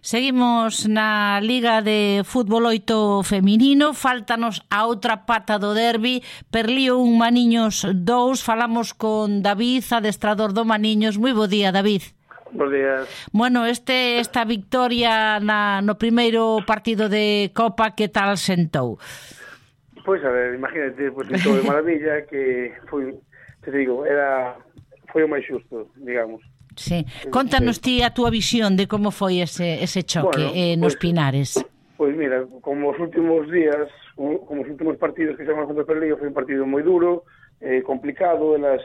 Seguimos na Liga de Fútbol 8 feminino, faltanos a outra pata do derbi, Perlío 1 Maniños 2, falamos con David, adestrador do Maniños. Moi bo día, David. Bos días. Bueno, esta victoria no primeiro partido de Copa, que tal sentou? Pois, a ver, imagínate, sentou de maravilla, que foi, te digo, foi o máis xusto, digamos. Sí. Contanos ti a túa visión de como foi ese choque nos Pinares. Pois mira, como os últimos días, como os últimos partidos que xamamos contra o Perlío, foi un partido moi duro, complicado, elas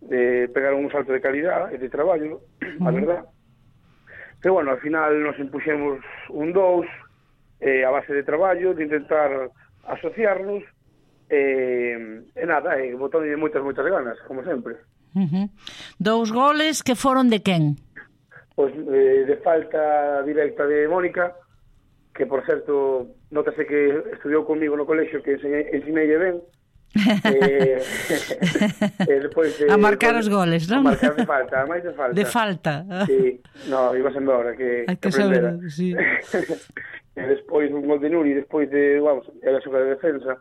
pegaron un salto de calidad e de traballo, a verdad. Pero bueno, al final nos impuxemos un 2 a base de traballo, de intentar asociarnos e nada, botando moitas ganas, como sempre. 2 goles que foron de quen? Pois de falta directa de Mónica, que por certo notase que estudiou comigo no colexio, que ensineille ben. Despois a marcar os goles, non? A marcar de falta, a máis de falta. De falta. Sí, no, iba sendo hora que aprendera. Sí. E despois un gol de Nuri, despois de, vamos, era xoga de defensa,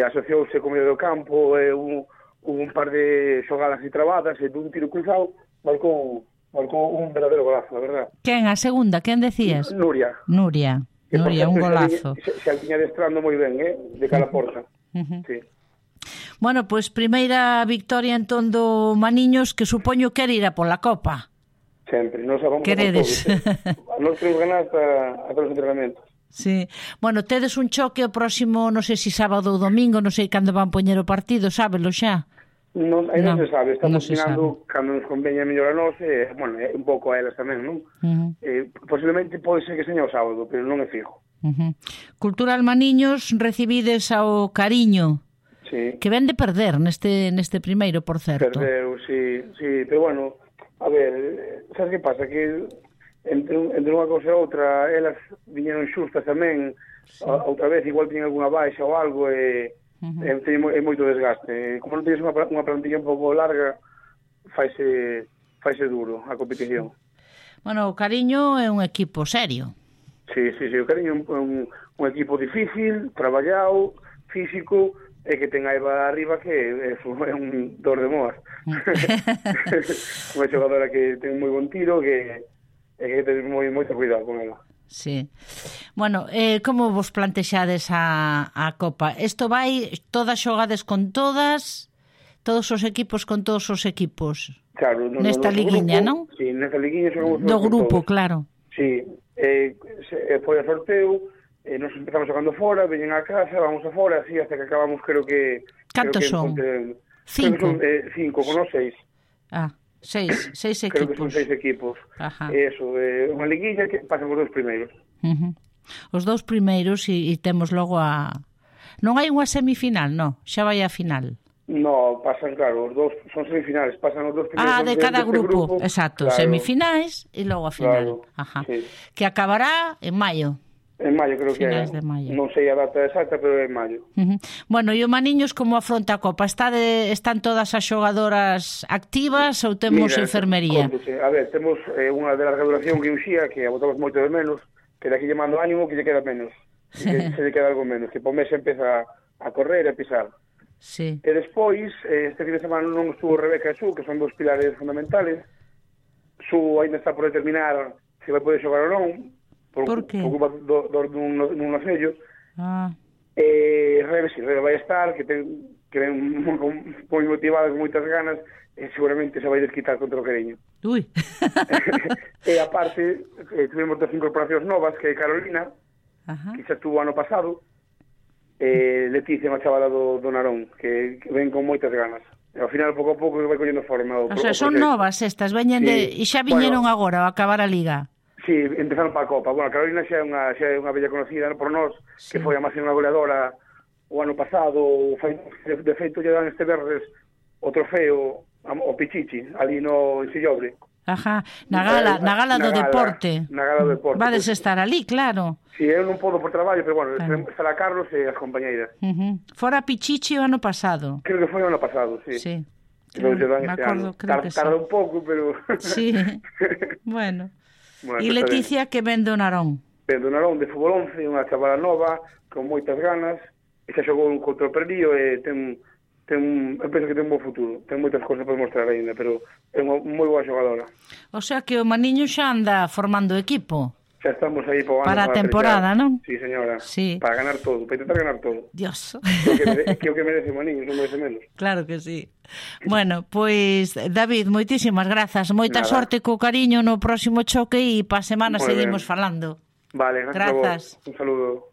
asociouse co medio do campo, un par de xogadas e trabadas, e dun tiro cruzado, marcou un verdadeiro golazo, a verdad. Quen, a segunda, quen decías? Nuria, un golazo. Se viña destrando moi ben, de cara a porta. Sí. Bueno, pois primeira victoria entón do Maniños, que supoño que era ir a pola Copa. Sempre, nos vamos queredes? Nos temos ganas a todos os entrenamentos. Sí. Bueno, tedes un choque o próximo, non sei se sábado ou domingo, non sei cando van poñer o partido, sábelo xa? Non se sabe, estamos opinando cando nos conveña mellor a nós, bueno, un pouco a elas tamén, non? Posiblemente pode ser que seña o sábado, pero non é fijo. Cultural Maniños, recibides ao Cariño, sí, que ven de perder neste primeiro, por certo. Perdeu, sí, pero bueno, a ver, sabes que pasa? Que entre unha cousa e outra, elas viñeron xustas tamén, sí. Outra vez igual tiñen alguna baixa ou algo, é moito desgaste. Como non tienes unha plantilla un pouco larga, faise duro a competición. Bueno, o Cariño é un equipo serio. Sí, o Cariño é un equipo difícil, traballado, físico, e que ten a Eva arriba, que é un dor de moas. Unha xogadora que ten moi bon tiro, que ten moito cuidado con ela. Sí. Bueno, como vos plantexades a Copa? Isto vai, todas xogades con todos os equipos con todos os equipos? Claro. Nesta liguiña, non? Sí, nesta liguiña xogamos do grupo, todos. Claro. Sí, foi a sorteo, nos empezamos xogando fora, veñen a casa, vamos a fora, así, hasta que acabamos, creo que... Cantos son? 5? 5, con os 6. Ah, 6 equipos. Creo que son 6 equipos. Ajá. Eso, unha liguilla que pasan os 2 primeiros. Os 2 primeiros e temos logo a... Non hai unha semifinal, non? Xa vai a final. No, pasan, claro, os 2 son semifinales, pasan os 2 primeiros de cada grupo. Exacto, claro. Semifinais e logo a final. Claro, ajá. Sí. Que acabará en maio. En maio, creo que é. Non sei a data exacta, pero é en maio. Bueno, e o Maniños como afronta a Copa? Están todas as xogadoras activas ou temos enfermería? A ver, temos unha de larga duración que Uxía, que a botamos moito de menos, que daqui lle mando ánimo que lle queda menos. Que se lle queda algo menos, que por mes empeza a correr e a pisar. Sí. E despois, este fin de semana non estuvo Rebeca e Su, que son dos pilares fundamentales. Su ainda está por determinar se vai poder xogar ou non, por que? Por culpa dun acello. Rebe vai estar, que ven moi motivada, con moitas ganas, e seguramente se vai desquitar contra o Cariño. Ui. E aparte, tuvimos 2 incorporacións novas, que é Carolina, que xa estuvo ano pasado, Leticia, unha chavala do Narón, que ven con moitas ganas. E ao final, pouco a pouco, vai collendo forma. O sea, son novas estas, veñen e xa viñeron agora ao acabar a Liga. Sí, empezaron para a Copa. Bueno, Carolina xa é unha bella conocida por nós, que foi a máxima goleadora o ano pasado. De feito, lle dan este verdes o trofeo o Pichichi, ali no Ensillobre. Ajá, na gala do deporte. Na gala do deporte. Vades estar ali, claro. Sí, eu non podo por traballo, pero bueno, estará Carlos e as compañeiras. Fora Pichichi o ano pasado. Creo que foi o ano pasado, sí. Me acordo, creo que sí. Tarda un pouco, pero... Sí, bueno. Bueno, E Leticia que ven do Narón. Ben do Narón de fútbol 11, unha chavala nova, con moitas ganas, e xa xogou contra o Perlío e eu penso que ten un bo futuro. Ten moitas cousas para mostrar ainda, pero é unha moi boa xogadora. O sea que o Maniño xa anda formando equipo. Xa estamos aí para a temporada, non? Sí, señora. Sí. Para ganar todo, para intentar ganar todo. Dios. Que o que merece o Maniño, non merece menos. Claro que sí. Bueno, pois, David, moitísimas grazas. Moita sorte co cariño no próximo choque e pa semana seguimos falando. Vale, gracias. Grazas. Un saludo.